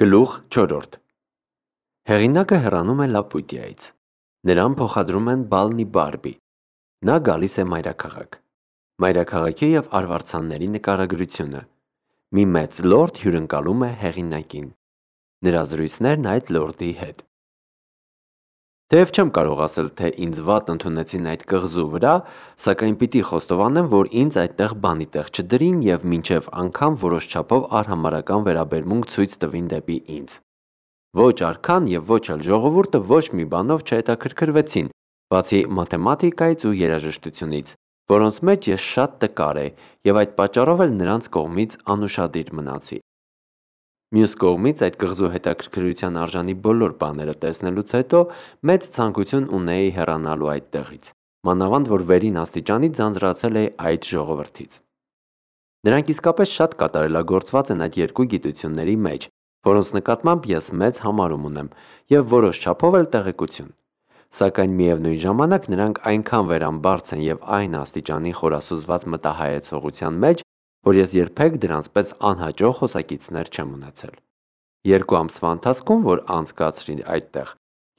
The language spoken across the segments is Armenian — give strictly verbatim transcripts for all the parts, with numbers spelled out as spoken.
Գլուխ չորրորդ Հեղինակը հեռանում է Լապուտիայից։ Նրան փոխադրում են Բալնի Բարբի։ Նա գալիս է մայրաքաղաք։ Մայրաքաղաքի և արվարձանների նկարագրությունը։ Մի մեծ լորդ հյուրընկալում է հեղինակին։ Նրա զրույցներն այդ լորդի հետ։ Թեև չեմ կարող ասել, թե ինձ վատ ընդունեցին այդ կղզու վրա, սակայն պիտի խոստովանեմ, որ ինձ այդտեղ բանի տեղ չդրին և մինչև անգամ որոշ չափով արհամարհական վերաբերմունք ցույց տվին դեպի ինձ։ Ոչ արքան և ոչ էլ ժողովուրդը ոչ մի բանով չհետաքրքրվեցին, բացի մաթեմատիկայից ու երաժշտությունից, որոնց մեջ ես շատ տկար էի և այդ պատճառով էլ նրանց կողմից անուշադիր մնացի։ Մյուս կողմից այդ կղզու հետաքրքրության արժանի բոլոր բաները տեսնելուց հետո մեծ ցանկություն ունեի հեռանալու այդտեղից, մանավանդ որ վերին աստիճանի ձանձրացել էի այդ ժողովրդից։ Նրանք իսկապես շատ կատարելագործված են այդ երկու գիտությունների մեջ, որոնց նկատմամբ ես մեծ համարում ունեմ և որոշ չափով էլ տեղեկություն։ Սակայն միևնույն ժամանակ նրանք այնքան վերամբարձ են և այն աստիճանի խորասուզված մտահայեցողության մեջ, որ ես երբեք դրանց պես անհաջող խոսակիցներ չեմ ունեցել։ Երկու ամսվա ընթացքում, որ անցկացրի այդտեղ,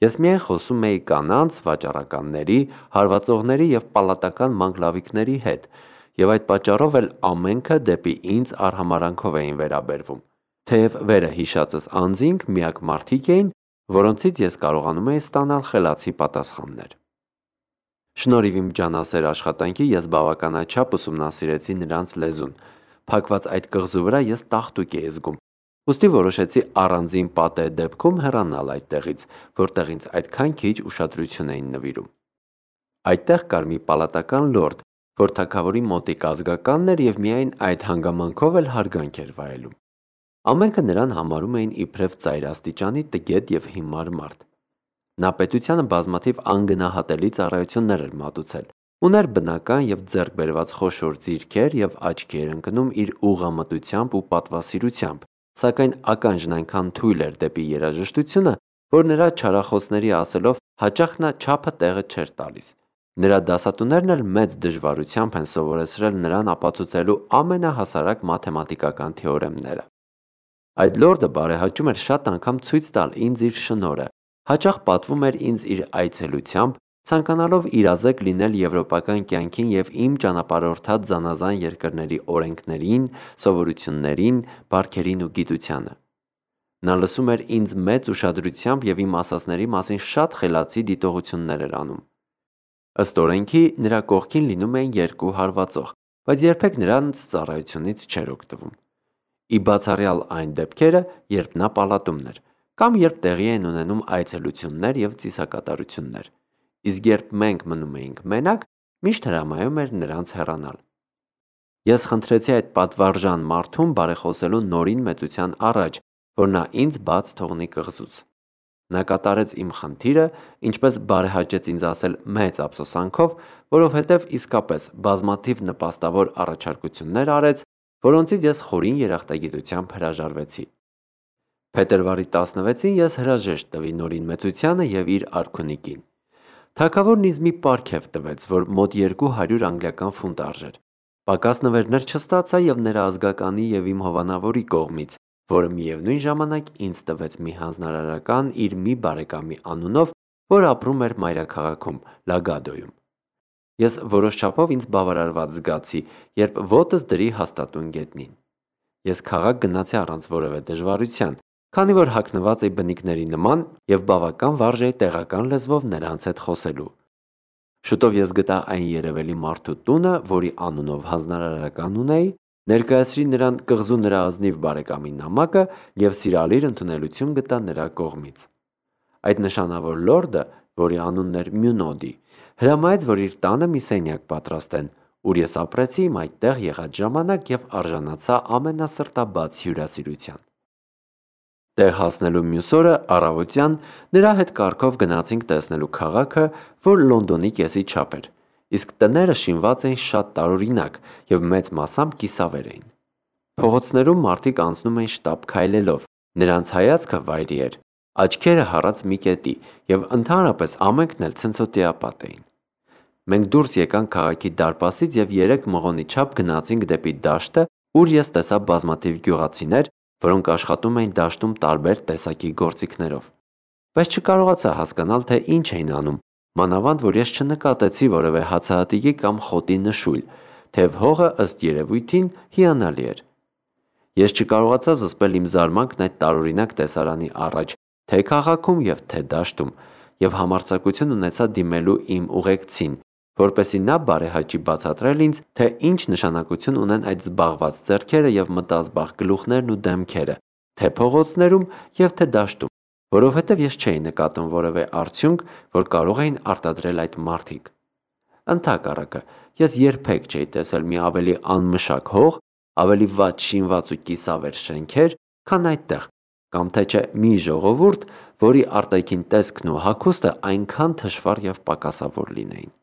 ես միայն խոսում էի կանանց, վաճառականների, հարվածողների և պալատական մանգլավիկների հետ, և այդ պատճառով էլ ամենքը դեպի ինձ արհամարհանքով էին վերաբերվում, թեև վերը հիշածս անձինք միակ մարդիկ էին, որոնցից ես կարողանում էի ստանալ խելացի պատասխաններ։ Շնորհիվ իմ ջանասեր աշխատանքի ես բավականաչափ ուսումնասիրեցի նրանց լեզուն։ Փակված այդ կղզու վրա ես տաղտուկ էի զգում, ուստի որոշեցի առանձին պատեհ դեպքում հեռանալ այդտեղից, որտեղ ինձ այդքան քիչ ուշադրություն էին նվիրում։ Այդտեղ կար մի պալատական լորդ, որ թագավորի մոտիկ ազգականն էր և միայն այդ հանգամանքով էլ հարգանք էր վայելում։ Ամենքը նրան համարում էին իբրև ծայրաստիճանի տգետ և հիմար մարդ։ Նա պետությանը բազմաթիվ անգնահատելի ծառայություններ էր մատուցել, ուներ բնական և ձեռք բերված խոշոր ձիրքեր և աչքի էր ընկնում իր ուղղամտությամբ ու պատվասիրությամբ, սակայն ականջն այնքան թույլ էր դեպի երաժշտությունը, որ նրա չարախոսների ասելով հաճախ նա չափը տեղը չէր տալիս։ Նրա դասատուներն էլ մեծ դժվարությամբ են սովորեցրել նրան ապացուցելու ամենահասարակ մաթեմատիկական թեորեմները։ Այդ լորդը բարեհաճում էր շատ անգամ ցույց տալ ինձ իր շնորհը, հաճախ պատվում էր ինձ իր այցելությամբ, ցանկանալով իրազեկ լինել եվրոպական կյանքին և իմ ճանապարհորդած զանազան երկրների օրենքներին, սովորույթներին, բարքերին ու գիտությանը։ Նա լսում էր ինձ մեծ ուշադրությամբ և իմ ասածների մասին շատ խելացի դիտողություններ էր անում։ Ըստ օրենքի նրա կողքին լինում էին երկու հարվածող, բայց երբեք նրանց ծառայությունից չէր օգտվում։ Ի բացառյալ այն դեպքերը, երբ նա պալատումն էր, կամ երբ տեղի էին ունենում այցելություններ և ծիսակատարություններ, իսկ երբ մենք մնում էինք մենակ, միշտ հրամայում էր նրանց հեռանալ։ Ես խնդրեցի այդ պատվարժան մարդուն բարեխոսելու Նորին մեծության առաջ, որ նա ինձ բաց թողնի կղզուց։ Նա կատարեց իմ խնդիրը, ինչպես բարեհաճեց ինձ ասել մեծ ափսոսանքով, որովհետև իսկապես բազմաթիվ նպաստավոր առաջարկություններ արեց, որոնցից ես խորին երախտագիտությամբ հրաժարվեցի։ Փետրվարի տասնվեցին ես հրաժեշտ տվի Նորին մեծությանը և իր արքունիքին։ Թագավորն ինձ մի պարգև տվեց, որ մոտ երկու հարյուր անգլիական ֆունտ արժեր։ Պակաս նվերներ չստացա և նրա ազգականի և իմ հովանավորի կողմից, որը միևնույն ժամանակ ինձ տվեց մի հանձնարարական իր մի բարեկամի անունով, որ ապրում էր մայրաքաղաքում Լագադոյում։ Ես որոշ չափով ինձ բավարարված զգացի, երբ ոտս դրի հաստատուն գետնին։ Ես քաղաք գնացի առանց որևէ դժվարության, քանի որ հագնված էի բնիկների նման և բավական վարժ էի տեղական լեզվով նրանց հետ խոսելու։ Շուտով ես գտա այն երևելի մարդու տունը, որի անունով հանձնարարական ունեի, ներկայացրի նրան կղզու նրա ազնիվ բարեկամի նամակը և սիրալիր ընդունելություն գտա նրա կողմից։ Այդ նշանավոր լորդը, որի անունն էր Մյունոդի, հրամայեց, որ իր տանը մի սենյակ պատրաստեն, ուր ես ապրեցի իմ այդտեղ եղած ժամանակ և արժանացա ամենասրտաբաց հյուրասիրության։ Տեղ հասնելու մյուս օրը առավոտյան նրա հետ կառքով գնացինք տեսնելու քաղաքը, որ Լոնդոնի կեսի չափ էր, իսկ տները շինված էին շատ տարօրինակ և մեծ մասամբ կիսավեր էին։ Փողոցներում մարդիկ անցնում էին շտապ քայլելով, նրանց հայացքը վայրի էր, աչքերը հառած մի կետի և ընդհանրապես ամենքն էլ ցնցոտիապատ էին։ Մենք դուրս եկանք քաղաքի դարպասից և երեք մղոնի չափ գնացինք դեպի դաշտը, ուր ես տեսա բազմաթիվ գյուղացիներ, որոնք աշխատում էին դաշտում տարբեր տեսակի գործիքներով։ Բայց չկարողացա հասկանալ, թե ինչ էին անում, մանավանդ որ ես չնկատեցի որևէ հացահատիկի կամ խոտի նշույլ, թեև հողը ըստ երևույթին հիանալի էր։ Ես չկարողացա զսպել իմ զարմանքն այդ տարօրինակ տեսարանի առաջ, թե քաղաքում և թե դաշտում, և համարձակություն ունեցա դիմելու իմ ուղեկցին, որպեսզի նա բարեհաճի բացատրել ինձ, թե ինչ նշանակություն ունեն այդ զբաղված ձեռքերը և մտազբաղ գլուխներն ու դեմքերը, թե փողոցներում և թե դաշտում, որովհետև ես չէի նկատում որևէ արդյունք, որ կարող էին արտադրել այդ մարդիկ։ Ընդհակառակը, ես երբեք չէի տեսել մի ավելի անմշակ հող, ավելի վատ շինված ու կիսավեր շենքեր, քան այդտեղ, կամ թե չէ մի ժողովուրդ, որի արտաքին տեսքն ու հագուստը այնքան թշվառ և պակասավոր լինեին։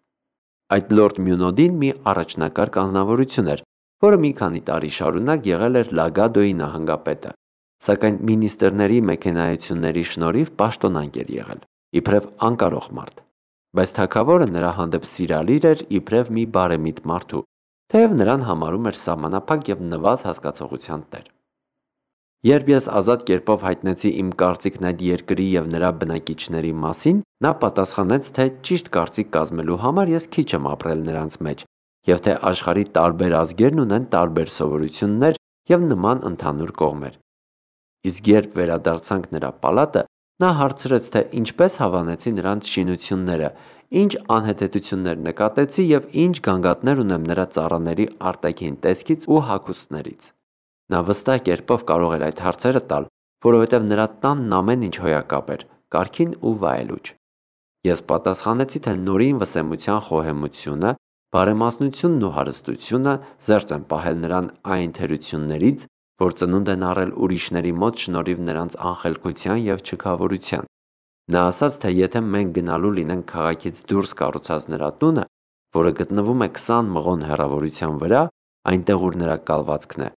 Այդ լորդ Մյունոդին մի առաջնակարգ անձնավորություն էր, որը մի քանի տարի շարունակ եղել էր Լագադոյի նահանգապետը, սակայն մինիստրների մեքենայությունների շնորհիվ պաշտոնանկ էր եղել, իբրև անկարող մարդ, բայց թագավորը նրա հանդեպ սիրալիր էր իբրև մի բարեմիտ մարդու, թեև նրան համարում էր սահմանափակ և նվազ հասկացողության տեր։ Երբ ես ազատ կերպով հայտնեցի իմ կարծիքն այդ երկրի և նրա բնակիչների մասին, նա պատասխանեց, թե ճիշտ կարծիք կազմելու համար ես քիչ եմ ապրել նրանց մեջ, և թե աշխարհի տարբեր ազգերն ունեն տարբեր սովորություններ և նման ընդհանուր կողմեր։ Իսկ երբ վերադարձանք նրա պալատը, նա հարցրեց, թե ինչպես հավանեցի նրանց շինությունները, ինչ անհեթեթություններ նկատեցի և ինչ գանգատներ ունեմ նրա ծառաների արտաքին տեսքից ու հագուստներից։ Նա վստահ կերպով կարող էր այդ հարցերը տալ, որովհետև նրա տանն ամեն ինչ հոյակապ էր, կարգին ու վայելուչ։ Ես պատասխանեցի, թե նորին վսեմության խոհեմությունը, բարեմասնությունն ու հարստությունը զերծ են պահել նրան այն թերություններից, որ ծնունդ են առել ուրիշների մոտ շնորհիվ նրանց անխելքության և չքավորության։ Նա ասաց, թե եթե մենք գնալու լինենք քաղաքից դուրս կառուցած նրա տունը, որը գտնվում է քսան մղոն հեռավորության վրա, այնտեղ ուր նրա կալվածքն է,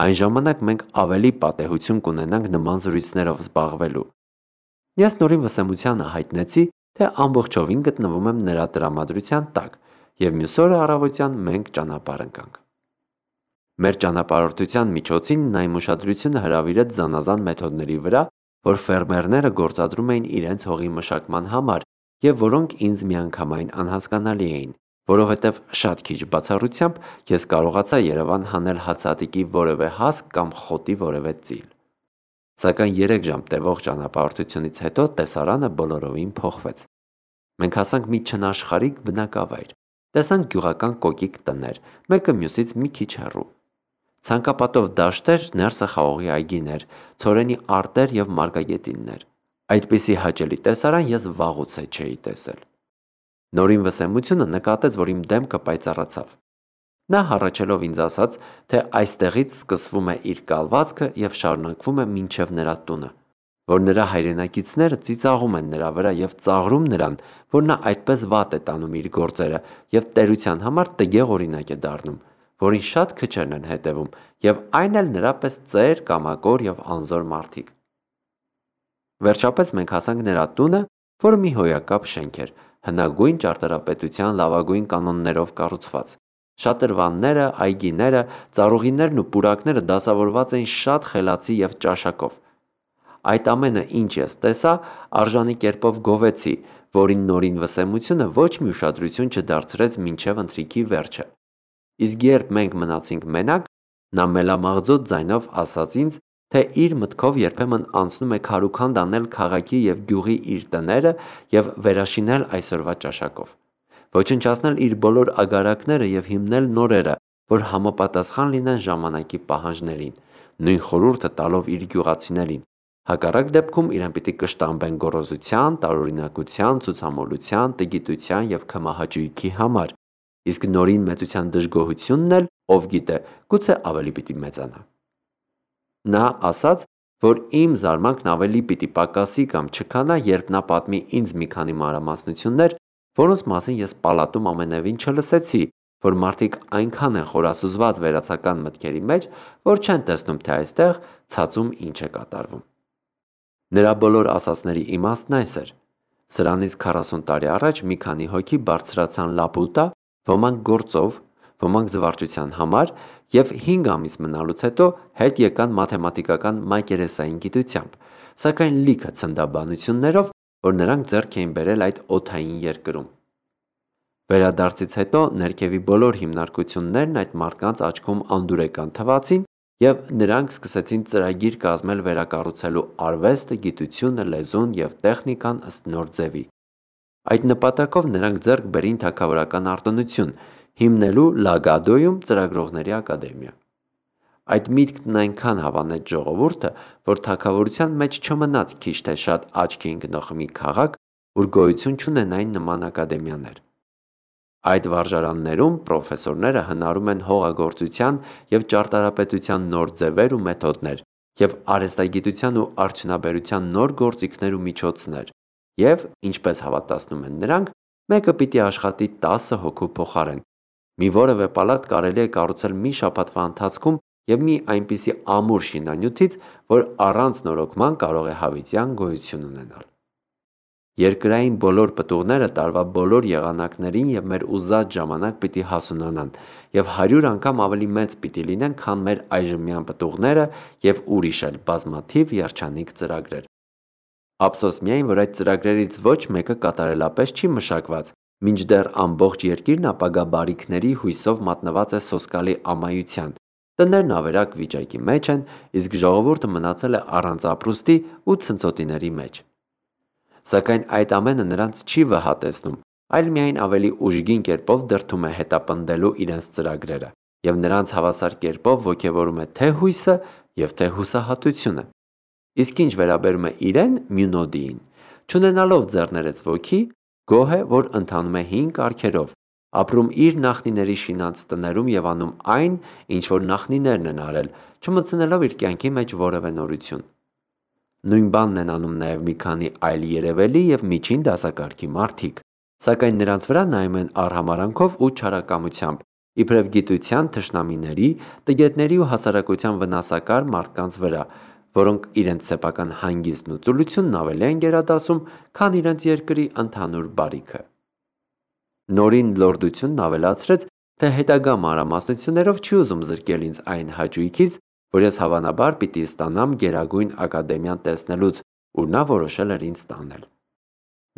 այն ժամանակ մենք ավելի պատեհություն կունենանք նման զրույցներով զբաղվելու։ Ես նորին վսեմությանը հայտնեցի, թե ամբողջովին գտնվում եմ նրա տրամադրության տակ, և մյուս օրը առավոտյան մենք ճանապարհ ընկանք։ Մեր ճանապարհորդության միջոցին նա իմ ուշադրությունը հրավիրեց զանազան մեթոդների վրա, որ ֆերմերները գործադրում էին իրենց հողի մշակման համար և որոնք ինձ միանգամայն անհասկանալի էին, որովհետև շատ քիչ բացառությամբ ես կարողացա Երևան հանել հացահատիկի որևէ հասկ կամ խոտի որևէ ծիլ։ Սակայն երեք ժամ տևող ճանապարհորդությունից հետո տեսարանը բոլորովին փոխվեց։ Մենք հասանք մի չնաշխարհիկ բնակավայր, տեսանք գյուղական կոկիկ տներ, մեկը մյուսից մի քիչ հեռու, ցանկապատով դաշտեր, ներսը խաղողի այգիներ, ցորենի արտեր և մարգագետիններ։ Այդպիսի հաճելի տեսարան ես վաղուց է չէի տեսել։ Նորին վսեմությունը նկատեց, որ իմ դեմքը պայծառացավ։ Նա հառաչելով ինձ ասաց, թե այստեղից սկսվում է իր կալվածքը և շարունակվում է մինչև նրա տունը, որ նրա հայրենակիցները ծիծաղում են նրա վրա և ծաղրում նրան, որ նա այդպես վատ է տանում իր գործերը և տերության համար տգեղ օրինակ է դառնում, որին շատ քչերն են հետևում, և այն էլ նրա պես ծեր, կամակոր և անզոր մարդիկ։ Վերջապես մենք հասանք նրա տունը, որը մի հոյակապ շենք էր, հնագույն ճարտարապետության լավագույն կանոններով կառուցված։ Շատրվանները, այգիները, ծառուղիներն ու պուրակները դասավորված էին շատ խելացի և ճաշակով։ Այդ ամենը, ինչ ես տեսա, արժանի կերպով գովեցի, որին նորին վսեմությունը ոչ մի ուշադրություն չդարձրեց մինչև ընթրիքի վերջը։ Իսկ երբ մենք մնացինք մենակ, նա մելամաղձոտ ձայնով ասաց ինձ, թե իր մտքով երբեմն անցնում է քարուքանդ անել քաղաքի և գյուղի իր տները և վերաշինել այսօրվա ճաշակով, ոչնչացնել իր բոլոր ագարակները և հիմնել նորերը, որ համապատասխան լինեն ժամանակի պահանջներին, նույն խորհուրդը տալով իր գյուղացիներին, հակառակ դեպքում իրեն պիտի կշտամբեն գոռոզության, տարօրինակության, ցուցամոլության, տգիտության և քմահաճույքի համար, իսկ նորին մեծության դժգոհությունն էլ, ով գիտե, գուցե ավելի պիտի մեծանա։ Նա ասաց, որ իմ զարմանքն ավելի պիտի պակասի կամ չքանա, երբ նա պատմի ինձ մի քանի մանրամասնություններ, որոնց մասին ես պալատում ամենևին չլսեցի, որ մարդիկ այնքան են խորասուզված վերացական մտքերի մեջ, որ չեն տեսնում, թե այստեղ ցածում ինչ է կատարվում։ Նրա բոլոր ասածների իմաստն այս էր. սրանից քառասուն տարի առաջ մի քանի հոգի բարձրացան Լապուտա, ոմանք գործով, ոմանք զվարճության համար և հինգ ամիս մնալուց հետո հետ եկան մաթեմատիկական մակերեսային գիտությամբ, սակայն լիքը ցնդաբանություններով, որ նրանք ձեռք էին բերել այդ օդային երկրում։ Վերադարձից հետո ներքևի բոլոր հիմնարկություններն այդ մարդկանց աչքում անդուրեկան թվացին և նրանք սկսեցին ծրագիր կազմել վերակառուցելու արվեստը, գիտությունը, լեզուն և տեխնիկան ըստ նոր ձևի։ Այդ նպատակով նրանք ձեռք բերին թագավորական արտոնություն, հիմնելու Լագադոյում ծրագրողների ակադեմիա։ Այդ միտքն այնքան հավանեց ժողովուրդը, որ թագավորության մեջ չմնաց քիչ թե շատ աչքի ընկնող մի քաղաք, ուր գոյություն չունենային նման ակադեմիաներ։ Այդ վարժարաններում պրոֆեսորները հնարում են հողագործության և ճարտարապետության նոր ձևեր ու մեթոդներ և արհեստագիտության ու արդյունաբերության նոր գործիքներ ու միջոցներ և, ինչպես հավատացնում են նրանք, մեկը պիտի աշխատի տասը հոգու փոխարեն։ Մի որևէ պալատ կարելի է կառուցել մի շաբաթվա ընթացքում և մի այնպիսի ամուր շինանյութից, որ առանց նորոգման կարող է հավիտյան գոյություն ունենալ։ Երկրային բոլոր պտուղները տարվա բոլոր եղանակներին և մեր ուզած ժամանակ պիտի հասունանան և հարյուր անգամ ավելի մեծ պիտի լինեն, քան մեր այժմյան պտուղները և ուրիշ էլ բազմաթիվ երջանիկ ծրագրեր։ Ափսոս միայն, որ այդ ծրագրերից ոչ մեկը կատարելապես չի մշակված, մինչդեռ ամբողջ երկիրն ապագա բարիքների հույսով մատնված է սոսկալի ամայության, տներն ավերակ վիճակի մեջ են, իսկ ժողովուրդը մնացել է առանց ապրուստի ու ցնցոտիների մեջ։ Սակայն այդ ամենը նրանց չի վհատեցնում, այլ միայն ավելի ուժգին կերպով դրդում է հետապնդելու իրենց ծրագրերը և նրանց հավասար կերպով ոգևորում է թե հույսը և թե հուսահատությունը։ Իսկ ինչ վերաբերում է իրեն՝ Մյունոդիին, չունենալով ձեռներեց ոգի, գոհ է, որ ընթանում է հին կարգերով, ապրում իր նախնիների շինած տներում և անում այն, ինչ որ նախնիներն են արել, չմտցնելով իր կյանքի մեջ որևէ նորություն։ Նույն բանն են անում նաև մի քանի այլ երևելի և միջին դասակարգի մարդիկ, սակայն նրանց վրա նայում են արհամարհանքով ու չարակամությամբ, իբրև գիտության թշնամիների, տգետների ու հասարակության վնասակար մարդկանց վրա, որոնք իրենց սեփական հանգիստն ու ծուլությունն ավելի են գերադասում, քան իրենց երկրի ընդհանուր բարիքը։ Նորին լորդությունն ավելացրեց, թե հետագա մանրամասնություններով չի ուզում զրկել ինձ այն հաճույքից, որ ես հավանաբար պիտի ստանամ Գերագույն ակադեմիան տեսնելուց, ուր նա որոշել էր ինձ տանել։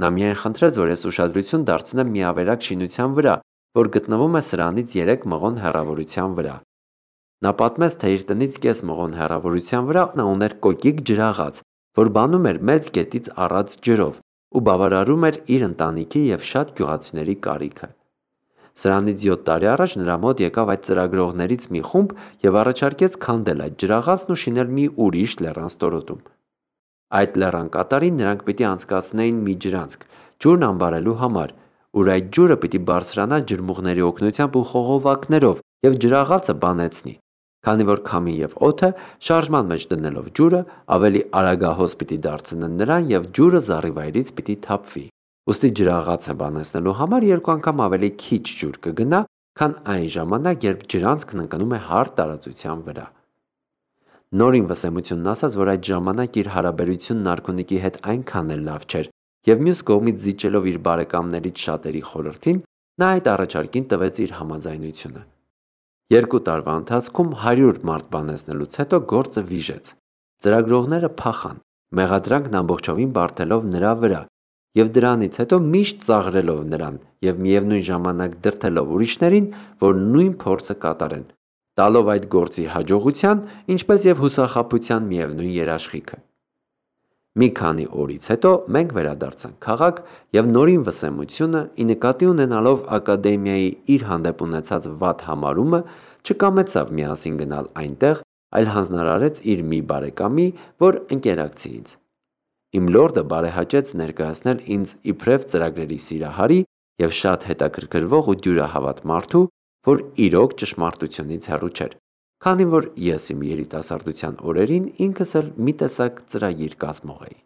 Նա միայն խնդրեց, որ ես ուշադրություն դարձնեմ մի ավերակ շինության վրա, որ գտնվում է սրանից երեք մղոն հեռավորության վրա։ Նա պատմեց, թե իր տնից կես մղոն հեռավորության վրա նա ուներ կոկիկ ջրաղաց, որ բանում էր մեծ գետից առած ջրով ու բավարարում էր իր ընտանիքի և շատ գյուղացիների կարիքը։ Սրանից յոթ տարի առաջ նրա մոտ եկավ այդ ծրագրողներից մի խումբ և առաջարկեց քանդել այդ ջրաղացն ու շինել մի ուրիշ լեռան ստորոտում։ Այդ լեռան կատարին նրանք պիտի անցկացնեին մի ջրանցք, ջուրն ամբարելու համար, ուր այդ ջուրը պիտի բարձրանա ջրմուղների օգնությամբ ու խողովակներով և ջրաղացը բանեցնի, քանի որ քամին և օդը շարժման մեջ դնելով ջուրը ավելի արագահոս պիտի դարձնեն նրան և ջուրը զառիվայրից պիտի թափվի։ Ուստի ջրաղացը բանեցնելու համար երկու անգամ ավելի քիչ ջուր կգնա, քան այն ժամանակ, երբ ջրանցքն ընկնում է հարթ տարածության վրա։ Նորին վսեմությունն ասաց, որ այդ ժամանակ իր հարաբերությունն արքունիքի հետ այնքան էլ լավ չէր, և մյուս կողմից զիջելով իր բարեկամներից շատերի խորհրդին, նա այդ առաջարկին տվեց իր համաձայնությունը։ Երկու տարվա ընթացքում հարյուր մարդ բանեցնելուց հետո գործը վիժեց։ Ծրագրողները փախան, մեղադրանքն ամբողջովին բարդելով նրա վրա և դրանից հետո միշտ ծաղրելով նրան և միևնույն ժամանակ դրդելով ուրիշներին, որ նույն փորձը կատարեն, տալով այդ գործի հաջողության, ինչպես և հուսախաբության միևնույն երաշխիքը։ Մի քանի օրից հետո մենք վերադարձանք քաղաք և նորին վսեմությունը, ի նկատի ունենալով ակադեմիայի իր հանդեպ ունեցած վատ համարումը, չկամեցավ միասին գնալ այնտեղ, այլ հանձնարարեց իր մի բարեկամի, որ ընկերակցի ինձ։ Իմ լորդը բարեհաճեց ներկայացնել ինձ իբրև ծրագրերի սիրահարի և շատ հետաքրքրվող ու դյուրահավատ մարդու, որ իրոք ճշմարտությունից հեռու չէր, քանի որ ես իմ երիտասարդության օրերին ինքս էլ մի տեսակ ծրագիր կազմող էի։